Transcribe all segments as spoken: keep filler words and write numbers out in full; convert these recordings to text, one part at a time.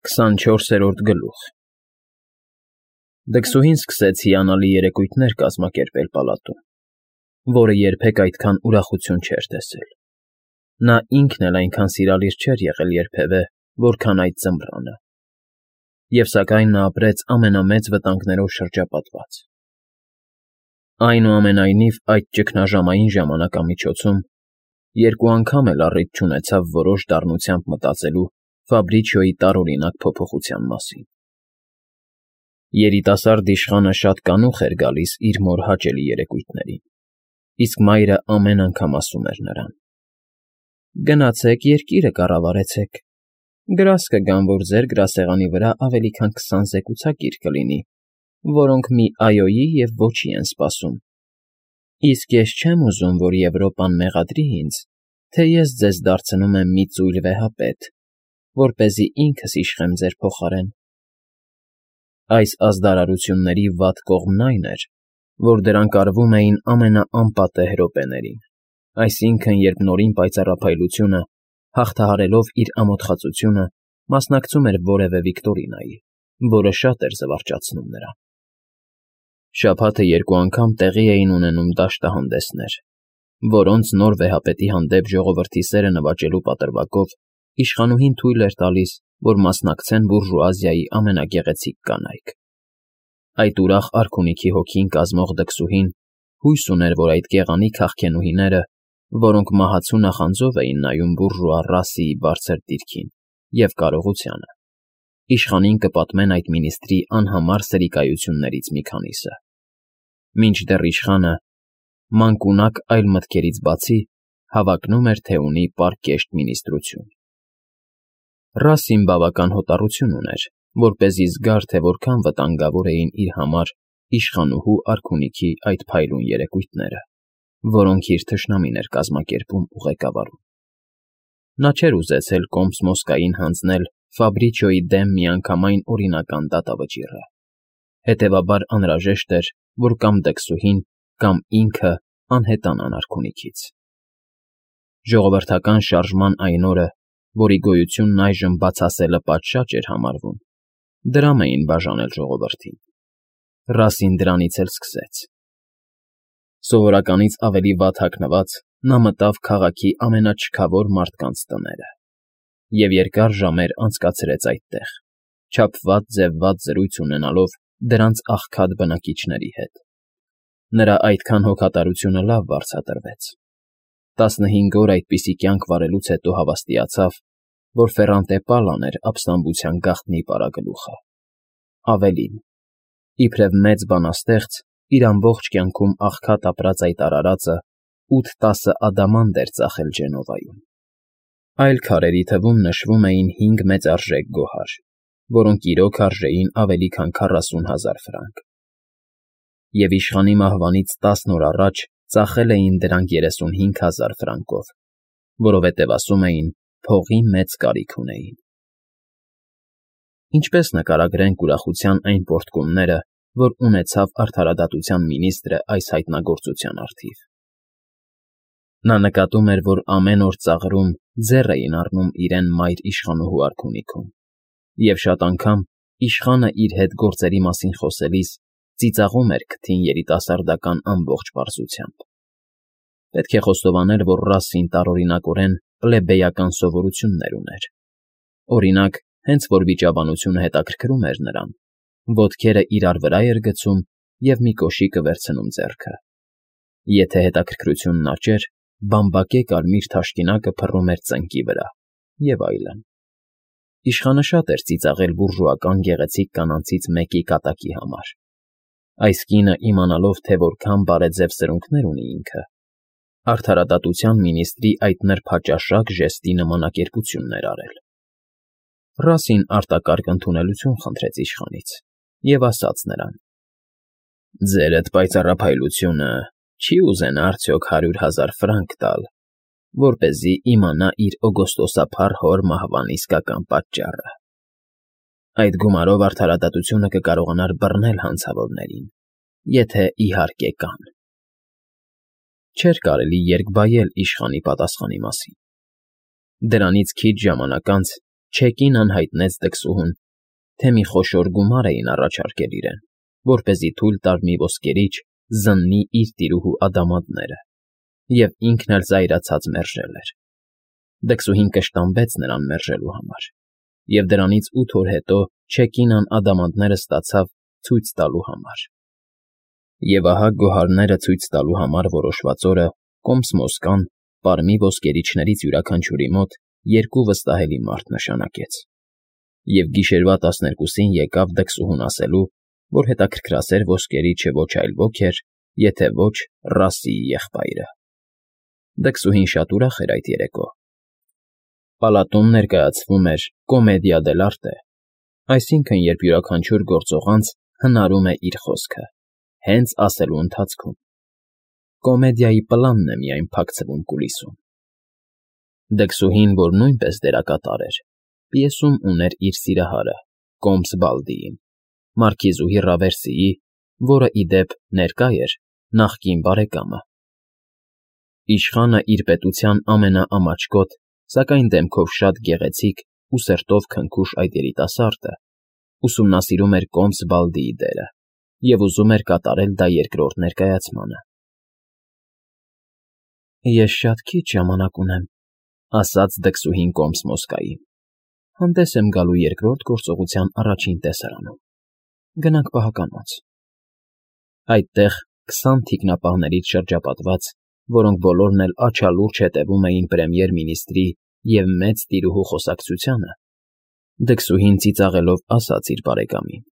Քսանչորսերորդ գլուխ Դքսուհին սկսեց հիանալի երեկույթներ կազմակերպել պալատում, որը երբեք այդքան ուրախություն չէր տեսել. նա ինքն էլ այնքան սիրալիր չէր եղել երբևէ, որքան այդ ձմռանը, և սակայն նա ապրեց ամենամեծ վտանգներով շրջապատված. այնուամենայնիվ այդ ճգնաժամային ժամանակամիջոցում երկու անգամ էլ առիթ չունեցավ որոշ դառնությամբ մտածելու Ֆաբրիչիոյի տարօրինակ փոփոխության մասին. երիտասարդ իշխանը շատ կանուխ էր գալիս իր մոր հաճելի երեկույթներին, իսկ մայրը ամեն անգամ ասում էր նրան. «Գնացեք, երկիրը կառավարեցեք, գրազ կգան, որ ձեր գրասեղանի վրա ավելի քան քսան զեկուցակիր կլինի, որոնք մի «այո»֊ի և «ոչ»-ի են սպասում, իսկ ես չեմ ուզում, որ Եվրոպան մեղադրի ինձ, թե ես ձեզ դարձնում եմ մի ծույլ վեհապետ, որպեսզի ինքս իշխեմ ձեր փոխարեն»։ Այս ազդարարությունների վատ կողմն այն էր, որ դրանք արվում էին ամենաանպատեհ րոպեներին, այսինքն՝ երբ Նորին պայծառափայլությունը, հաղթահարելով իր ամոթխածությունը, մասնակցում էր որևէ վիկտորինայի, որը շատ էր զվարճացնում նրան։ Շաբաթը երկու անգամ տեղի էին ունենում դաշտահանդեսներ, որոնց նոր վեհապետի հանդեպ ժողովրդի սերը նվաճելու պատրվակով իշխանուհին թույլ էր տալիս, որ մասնակցեն բուրժուազիայի ամենագեղեցիկ կանայք։ Այդ ուրախ արքունիքի հոգին կազմող դքսուհին հույս ուներ, որ այդ գեղանի քաղքենուհիները, որոնք մահացու նախանձով էին նայում բուրժուա ռասիի բարձր դիրքին և կարողությանը, իշխանին կպատմեն այդ մինիստրի անհամար սրիկայություններից մի քանիսը, մինչդեռ իշխանը, մանկունակ այլ մտքերից բացի, հավակնում էր, թե ունի պարկեշտ մինիստրություն։ Ռասին բավական հոտառություն ուներ, որպեսզի զգար, թե որքան վտանգավոր էին իր համար իշխանուհու արքունիքի այդ փայլուն երեկույթները, որոնք իր թշնամին էր կազմակերպում ու ղեկավարում։ Նա չէր ուզեցել Կոմս֊Մոսկային հանձնել Ֆաբրիչիոյի դեմ միանգամայն օրինական դատավճիռը, հետևաբար անհրաժեշտ էր, որ կամ դքսուհին, կամ ինքը անհետանան արքունիքից։ Ժողովրդական շարժման այն օրը, որի գոյությունն այժմ բացասելը պատշաճ էր համարվում, դրամ էին բաժանել ժողովրդին։ Ռասին դրանից էլ սկսեց։ Սովորականից ավելի վատ հագնված՝ նա մտավ քաղաքի ամենաչքավոր մարդկանց տները և երկար ժամեր անցկացրեց այդտեղ, չափված֊ձևված զրույց ունենալով դրանց աղքատ բնակիչների հետ։ Նրա այդքան հոգատարությունը լավ վարձատրվեց. տասնհինգ օր այդպիսի կյանք վարելուց հետո հավաստիացավ, որ Ֆեռանտե Պալան էր ապստամբության գաղտնի պարագլուխը։ Ավելին, իբրև մեծ բանաստեղծ, իր ամբողջ կյանքում աղքատ ապրած այդ արարածը ութ֊տասը ադամանդ էր ծախել Ջենովայում։ Այլ քարերի թվում նշվում էին հինգ մեծարժեք գոհար, որոնք իրոք արժեին ավելի քան քառասուն հազար ֆրանկ։ Եվ իշխանի մահվանից տասն օր առաջ ծախել էին դրանք երեսունհինգ հազար ֆրանկով, որովհետև ասում էին, փողի մեծ կարիք ունեին։ Ինչպես նկարագրենք ուրախության այն պոռթկումները, որ ունեցավ արդարադատության մինիստրը այս հայտնագործության առթիվ։ Նա նկատում էր, որ ամեն օր ծաղրում ձեռ էին առնում իրեն մայր իշխանուհու արքունիքում, և շատ անգամ իշխանը իր հետ գործերի մասին խոսելիս ծիծաղում էր քթին երիտասարդական ամբողջ պարզությամբ։ Պետք է խոստովանել, որ Ռասին տարօրինակորեն պլեբեյական սովորություններ ուներ։ Օրինակ, հենց որ վիճաբանությունը հետաքրքրում էր նրան, ոտքերը իրար վրա էր գցում և մի կոշիկը վերցնում ձեռքը։ Եթե հետաքրքրությունն աճեր, բամբակե կարմիր թաշկինակը փռում էր ծնկի վրա, և այլն։ Իշխանը շատ էր ծիծաղել բուրժուական գեղեցիկ կանանցից մեկի կատակի համար։ Այս կինը, իմանալով, թե որքան բարեձև սրունքներ ունի ինքը, արդարադատության մինիստրի այդ նրբաճաշակ ժեստի նմանակերպությունն էր արել։ Ռասին արտակարգ ընդունելություն խնդրեց իշխանից և ասաց նրան. «Ձերդ պայծառափայլությունը չի՞ ուզենա արդյոք հարյուր հազար ֆրանկ տալ, որպեսզի իմանա իր օգոստոսափառ հոր մահվան իսկական պատճառը։ Այդ գումարով արդարադատությունը կկարողանար բռնել հանցավորներին, եթե իհարկե կան»։ Չէր կարելի երկբայել իշխանի պատասխանի մասին։ Դրանից քիչ ժամանակ անց Չեկին անհայտնեց դքսուհուն, թե մի խոշոր գումար էին առաջարկել իրեն, որպեսզի թույլ տար մի ոսկերիչ զննի իր տիրուհու ադամանդները, և ինքն էլ զայրացած մերժել էր. դքսուհին կշտամբեց նրան մերժելու համար, և դրանից ութ օր հետո Չեկինան ադամանդները ստացավ ցույց տալու համար։ Եվ ահա գոհարները ցույց տալու համար որոշված օրը Կոմսմոսկան Պարմի ոսկերիչներից յուրաքանչյուրի մոտ երկու վստահելի մարդ նշանակեց, և գիշերվա տասներկուսին եկավ դքսուհուն ասելու, որ հետաքրքրասեր ոսկերիչը ոչ այլ ոք էր, եթե ոչ Ռասիի եղբայրը։ Դքսուհին շատ ուրախ էր այդ երեկո։ Պալատում ներկայացվում էր կոմեդիա դել արտե, այսինքն՝ երբ յուրաքանչյուր գործողանց հնարում է իր խոսքը, հենց ասելու ընթացքում։ Կոմեդիայի պլանն է միայն փակցվում կուլիսում։ Դքսուհին, որ նույնպես դերակատար էր, պիեսում ուներ իր սիրահարը՝ Կոմս Բալդիին, մարքիզուհի Ռավերսիի, որը, ի դեպ, ներկա էր, նախկին բարեկամը։ Իշխանը իր պետության ամենաամաչկոտ, սակայն դեմքով շատ գեղեցիկ ու սրտով քնքուշ այդ երիտասարդը ուսումնասիրում էր Կոմս Բալդիի դերը և ուզում էր կատարել դա երկրորդ ներկայացմանը։ «Ես շատ քիչ ժամանակ ունեմ,֊ ասաց դքսուհին Կոմսմոսկային,֊ հանդես եմ գալու երկրորդ գործողության առաջին տեսարանում։ Գնանք պահականոց»։ Այդտեղ քսան թիկնապահներից շրջապատված, որոնք բոլորն էլ աչալուրջ հետևում էին պրեմիեր֊մինիստրի և մեծ տիրուհու խոսակցությանը, դքսուհին ծիծաղելով ասաց իր բարեկամին.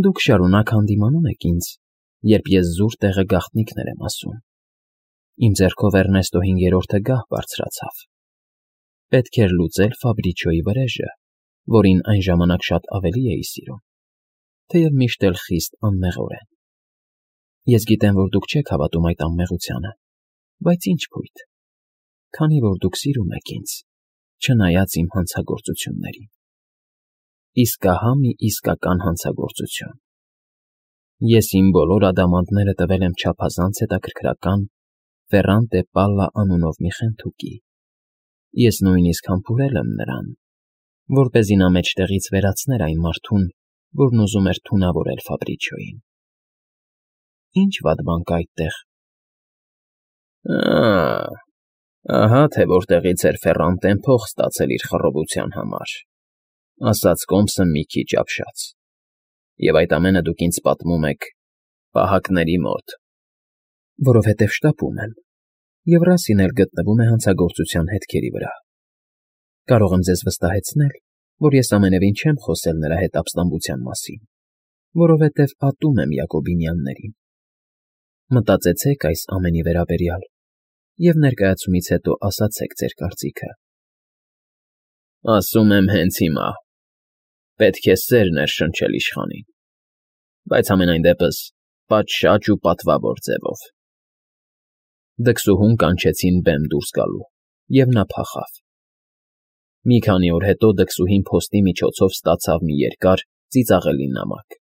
«Դուք շարունակ հանդիմանում եք ինձ, երբ ես զուր տեղը գաղտնիքներ եմ ասում։ Իմ ձեռքով Էռնեստո հինգերորդը գահ բարձրացավ։ Պետք էր լուծել Ֆաբրիչիոյի վրեժը, որին այն ժամանակ շատ ավելի էի սիրում, թեև միշտ էլ խիստ անմեղորեն։ Ես գիտեմ, որ դուք չեք հավատում այդ անմեղությանը, բայց ինչ փույթ, քանի որ դուք սիրում եք ինձ, չնայած իմ հանցագործություններին։ Իսկ ահա մի իսկական հանցագործություն. ես իմ բոլոր ադամանդները տվել եմ չափազանց հետաքրքրական Ֆերրանտե Պալլա անունով մի խենթուկի։ Ես նույնիսկ համբուրել եմ նրան, որպեսզի նա մեջտեղից վերացներ այն մարդուն, որն ուզում էր թունավորել Ֆաբրիչիոյին։ Ինչ վատ բան կա այդտեղ։ Ա՜, ահա թե որտեղից էր Ֆերրանտեն փող ստացել իր խռովության համար,֊ ասաց Կոմսը մի քիչ ապշած,֊ և այդ ամենը դուք ինձ պատմում եք պահակների մոտ։ Որովհետև շտապում եմ, և Ռասին էլ գտնվում է հանցագործության հետքերի վրա։ Կարող եմ ձեզ վստահեցնել, որ ես ամենևին չեմ խոսել նրա հետ ապստամբության մասին, որովհետև ատում եմ Յակոբինյաններին։ Մտածեցեք այս ամենի վերաբերյալ և ներկայացումից հետո ասացեք ձեր կարծիքը։ Ասում եմ հենց հիմա. պետք է սեր ներշնչել իշխանին, բայց համենայն դեպս պատշաճ ու պատվավոր ձևով։ Դքսուհուն կանչեցին բեմ դուրս գալու, և նա փախավ։ Մի քանի օր հետո դքսուհին փոստի միջոցով ստացավ մի երկար, ծիծաղելի նամակ,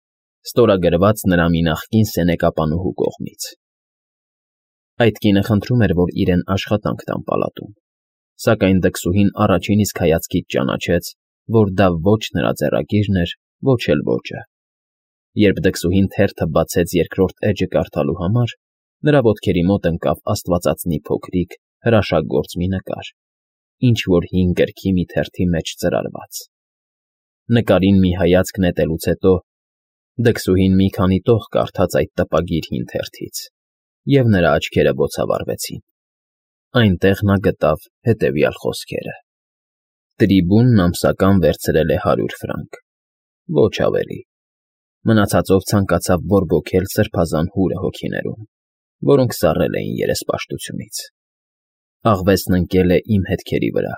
ստորագրված նրա մի նախկին սենեկապանուհու կողմից։ Այդ կինը խնդրում էր, որ իրեն աշխատանք տան պալատում, սակայն դքսուհին առաջին իսկ հայացքից ճանաչեց, որ դա ոչ նրա ձեռագիրն էր, ոչ էլ ոճը։ Երբ դքսուհին թերթը բացեց երկրորդ էջը կարդալու համար, նրա ոտքերի մոտ ընկավ աստվածածնի փոքրիկ, հրաշագործ մի նկար, ինչ֊որ հին գրքի մի թերթի մեջ ծրարված։ Նկարին մի հայացք նետելուց հետո դքսուհին մի քանի տող կարդաց այդ տպագիր հին թերթից, և նրա աչքերը բոցավառվեցին։ Այնտեղ նա գտավ հետևյալ խոսքերը. Տրիբունն ամսական վերցրել է հարյուր ֆրանկ, ոչ ավելի։ Մնացածով ցանկացավ բորբոքել սրբազան հուրը հոգիներում, որոնք սառել էին երեսպաշտությունից։ Աղվեսն ընկել է իմ հետքերի վրա,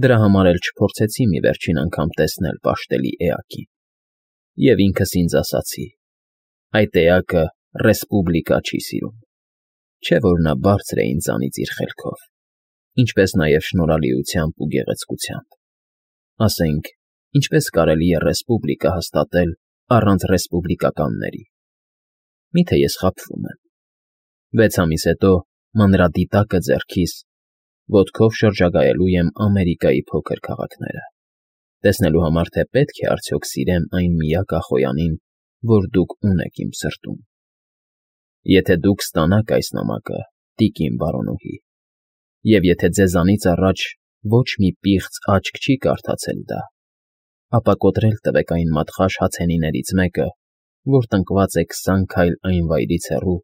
դրա համար էլ չփորձեցի մի վերջին անգամ տեսնել պաշտելի էակին։ Եվ ինքս ինձ ասացի. այդ էակը Ռեսպուբլիկա չի սիրում, չէ՞ որ նա բարձր է ինձանից իր խելքով, ինչպես նաև շնորհալիությամբ ու գեղեցկությամբ։ Ասենք, ինչպես կարելի է ռեսպուբլիկա հաստատել առանց ռեսպուբլիկականների։ Մի՞թե ես խաբվում եմ։ Վեց ամիս հետո մանրադիտակը ձեռքիս, ոտքով շրջագայելու եմ Ամերիկայի փոքր քաղաքները, տեսնելու համար, թե պետք է արդյոք սիրեմ այն միակ ախոյանին, որ դուք ունեք իմ սրտում։ Եթե դուք ստանաք այս նամակը, տիկին բարոնուհի, և եթե ձեզանից առաջ ոչ մի պիղծ աչք չի կարդացել դա, ապա կոտրել տվեք այն մատխաշ հացենիներից մեկը, որ տնկված է քսան քայլ այն վայրից հեռու,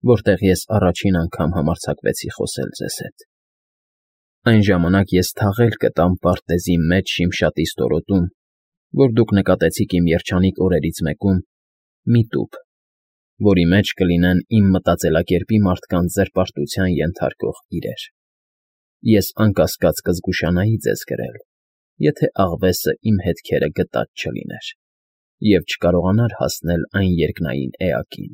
որտեղ ես առաջին անգամ համարձակվեցի խոսել ձեզ հետ։ Այն ժամանակ ես թաղել կտամ պարտեզի մեջ շիմշատի ստորոտում, որ դուք նկատեցիք իմ երջանիկ օրերից մեկում, մի տուփ, որի մեջ կլինեն իմ մտածելակերպի մարդկանց զրպարտության ենթարկող իրեր։ Ես անկասկած կզգուշանայի ձեզ գրել, եթե աղվեսը իմ հետքերը գտած չլիներ և չկարողանար հասնել այն երկնային էակին։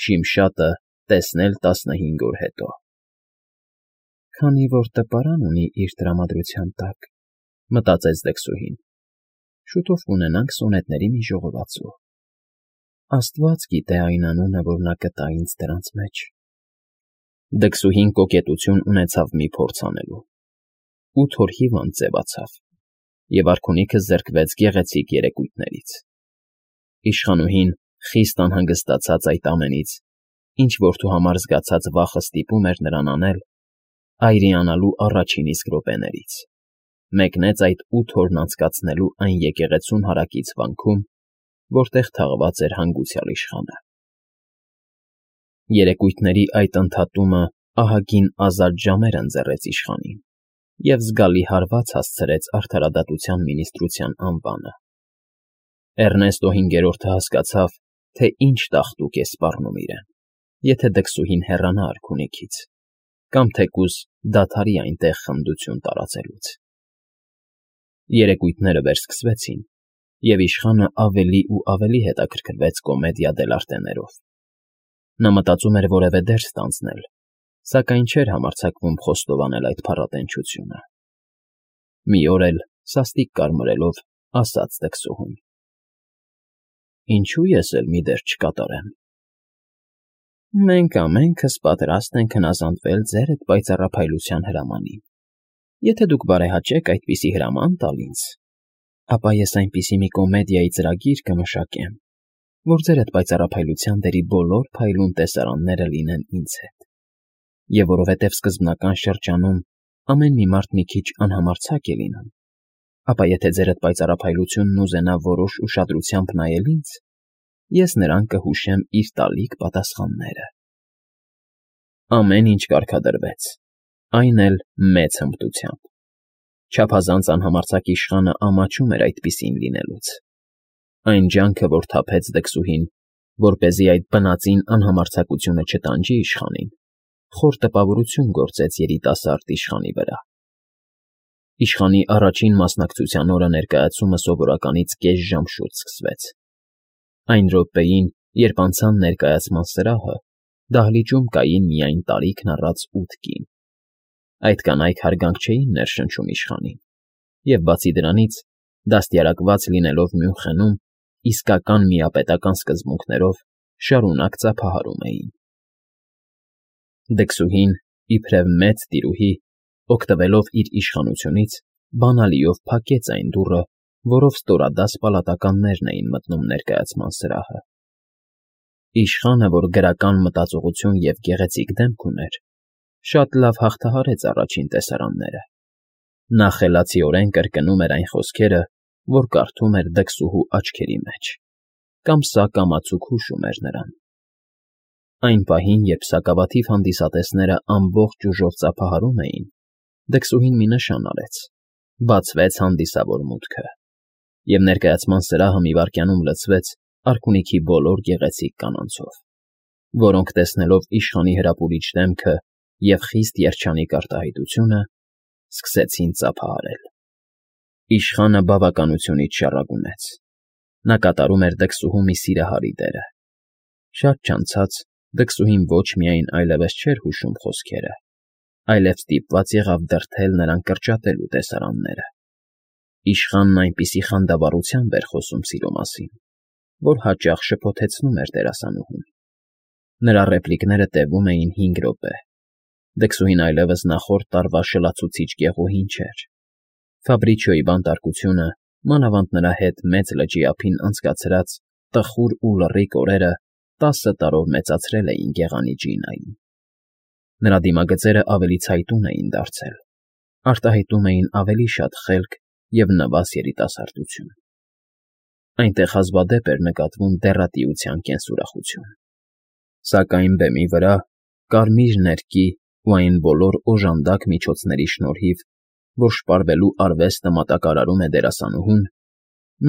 Շիմշատը տեսնել տասնհինգ օր հետո։ Քանի որ տպարան ունի իր տրամադրության տակ, մտածեց Դքսուհին, շուտով կունենանք սոնետների մի ժողովածու։ Աստված գիտե այն անունը, որ նա կտա ինձ դրանց մեջ։ Դքսուհին կոկետություն ունեցավ մի փորձ անելու։ Ութ օր հիվանդ ձևացավ, և արքունիքը զրկվեց գեղեցիկ երեկույթներից։ Իշխանուհին խիստ անհանգստացած այդ ամենից, ինչ որդու համար զգացած վախը ստիպում էր նրան անել, այրիանալու առաջին իսկ րոպեներից, մեկնեց այդ ութ օրն անցկացնելու այն եկեղեցուն հարակից վանքում, որտեղ թաղված էր հանգուցյալ իշխանը։ Երեկույթների այդ ընդհատումը ահագին ազատ ժամեր ընձեռեց իշխանին և զգալի հարված հասցրեց արդարադատության մինիստրության անվանը։ Էռնեստո հինգերորդը հասկացավ, թե ինչ տաղտուկ է սպառնում իրեն, եթե Դքսուհին հեռանա արքունիքից, կամ թեկուզ դադարի այնտեղ խնդություն տարածելուց։ Երեկույթները վերսկսվեցին, և իշխանը ավելի ու ավելի հետաքրքրվեց կոմեդիա դելարտեներով։ Նա մտածում էր որևէ դերս ստանձնել, սակայն չէր համարձակվում խոստովանել այդ փառատենչությունը։ Մի օր էլ, սաստիկ կարմրելով, ասաց Դքսուհուն. Ինչո՞ւ ես էլ մի դեր չկատարեմ։ Մենք ամենքս պատրաստ ենք հնազանդվել ձեր այդ պայծառափայլության հրամանին։ Եթե դուք բարեհաճեք այդպիսի հրաման տալ ինձ, ապա ես այնպիսի մի կոմեդիայի ծրագիր կմշակեմ, որ ձեր այդ պայծառափայլության դերի բոլոր փայլուն տեսարանները լինեն ինձ հետ։ Եվ որովհետև սկզբնական շրջանում ամեն մի մարդ մի քիչ անհամարձակ է լինում, ապա եթե ձեր այդ պայծառափայլությունն ուզենա որոշ ուշադրությամբ նայել ինձ, ես նրան կհուշեմ իր տալիք պատասխանները։ Ամեն ինչ կարգադրվեց, այն էլ մեծ հմտությամբ։ Չափազանց անհամարձակ իշխանը ամաչում էր այդպիսին լինելուց։ Այն ջանքը, որ թափեց Դքսուհին, որպեսզի այդ բնածին անհամարձակությունը չտանջի իշխանին, խոր տպավորություն գործեց երիտասարդ իշխանի վրա։ Իշխանի առաջին մասնակցության օրը ներկայացումը սովորականից կես ժամ շուտ սկսվեց։ Այն րոպեին, երբ անցան ներկայացման սրահը, դահլիճում կային միայն տարիքն առած ութ կին։ Այդ կանայք հարգանք չէին ներշնչում իշխանին, և բացի դրանից, դաստիարակված լինելով Մյունխենում, իսկական միապետական սկզբունքներով շարունակ ծափահարում էին։ Դքսուհին, իբրև մեծ տիրուհի, օգտվելով իր իշխանությունից, բանալիով փակեց այն դուռը, որով ստորադաս պալատականներն էին մտնում ներկայացման սրահը։ Իշխանը, որ գրական մտածողություն և գեղեցիկ դեմք ուներ, շատ լավ հաղթահարեց առաջին տեսարանները։ Նա խելացիորեն կրկնում էր այն խոսքերը, որ կարդում էր Դքսուհու աչքերի մեջ, կամ սա կամացուկ հուշում էր նրան։ Այն պահին, երբ սակավաթիվ հանդիսատեսները ամբողջ ուժով ծափահարում էին, Դքսուհին մի նշան արեց, բացվեց հանդիսավոր մուտքը, և ներկայացման սրահը մի վայրկյանում լցվեց արքունիքի բոլոր գեղեցիկ կանանցով, որոնք տեսնելով իշխանի հրապուրիչ դեմքը և խիստ երջանիկ արտահայտությունը, սկսեցին ծափահարել։ Իշխանը բավականությունից շառագունեց։ Նա կատարում էր Դքսուհու մի սիրահարի դերը։ Շատ չանցած Դքսուհին ոչ միայն այլևս չէր հուշում խոսքերը, այլև ստիպված եղավ դրդել նրան կրճատելու տեսարանները։ Իշխանն այնպիսի խանդավառությամբ էր խոսում սիրո մասին, որ հաճախ շփոթեցնում էր դերասանուհուն։ Նրա ռեպլիկները տևում էին հինգ րոպե, Դքսուհին այլևս նախորդ տարվա շլացուցիչ գեղուհին չէր։ Ֆաբրիչիոյի բանտարկությունը, մանավանդ նրա հետ մեծ լճի ափին անցկացրած տխուր ու լռիկ օրերը տասը տարով մեծացրել էին գեղանի Ջինային։ Նրա դիմագծերը ավելի ցայտուն էին դարձել, արտահայտում էին ավելի շատ խելք և նվազ երիտասարդություն։ Այնտեղ հազվադեպ էր նկատվում դեռատիության կենսուրախություն։ Սակայն բեմի վրա, կարմիր ներկի ու այն բոլոր օժանդակ միջոցների շնորհիվ, որ շպարվելու արվեստը մատակարարում է դերասանուհուն,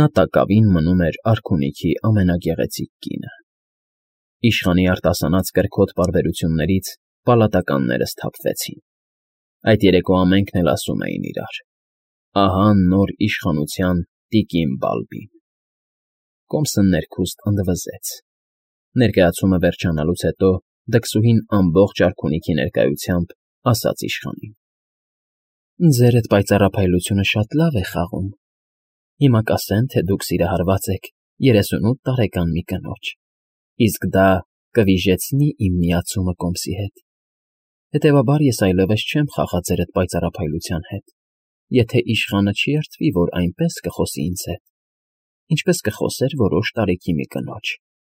նա տակավին մնում էր արքունիքի ամենագեղեցիկ կինը։ Իշխանի արտասանած կրքոտ պարբերություններից պալատականները սթափվեցին։ Այդ երեկո ամենքն էլ ասում էին իրար. «Ահա նոր իշխանության տիկին Բալբին»։ Կոմսը ներքուստ ընդվզեց։ Ներկայացումը վերջանալուց հետո դքսուհին ամբողջ արքունիքի ներկայությամբ ասաց իշխանին. «Ձեր էդ պայծառափայլությունը շատ լավ է խաղում։ Հիմա կասեն, թե դուք սիրահարված եք երեսունութ տարեկան մի կնոջ, իսկ դա կվիժեցնի իմ միացումը Կոմսի հետ։ Հետևաբար ես այլևս չեմ խաղա ձեր էդ պայծառափայլության հետ, եթե իշխանը չի երդվի, որ այնպես կխոսի ինձ հետ, ինչպես կխոսեր որոշ տարիքի մի կնոջ,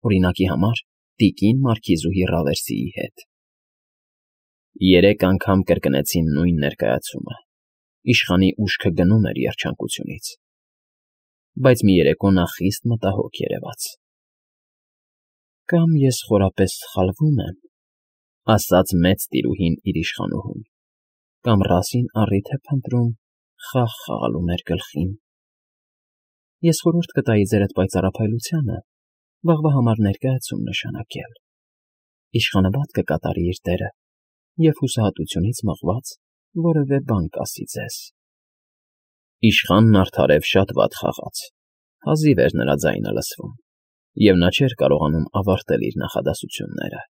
օրինակի համար տիկին մարքիզուհի Ռավերսիի հետ»։ Երեք անգամ կրկնեցին նույն ներկայացումը։ Իշխանի ուշքը գնում էր երջանկությունից։ Բայց մի երեկո նա խիստ մտահոգ երևաց։ «Կամ ես խորապես սխալվում եմ», ասաց մեծ տիրուհին իր իշխանուհուն, «կամ Ռասին առիթ է փնտրում խաղ խաղալու մեր գլխին։ Ես խորհուրդ կտայի ձեր էդ պայծառափայլությանը վաղվա համար ներկայացում նշանակել։ Իշխանը վատ կկատարի իր դերը և հուսահատությունից մղված որևէ բան կասի ձեզ»։ Իշխանն արդարև շատ վատ խաղաց, հազիվ էր նրա ձայնը լսվում, և նա չէր կարողանում ավարտել իր նախադասությունները։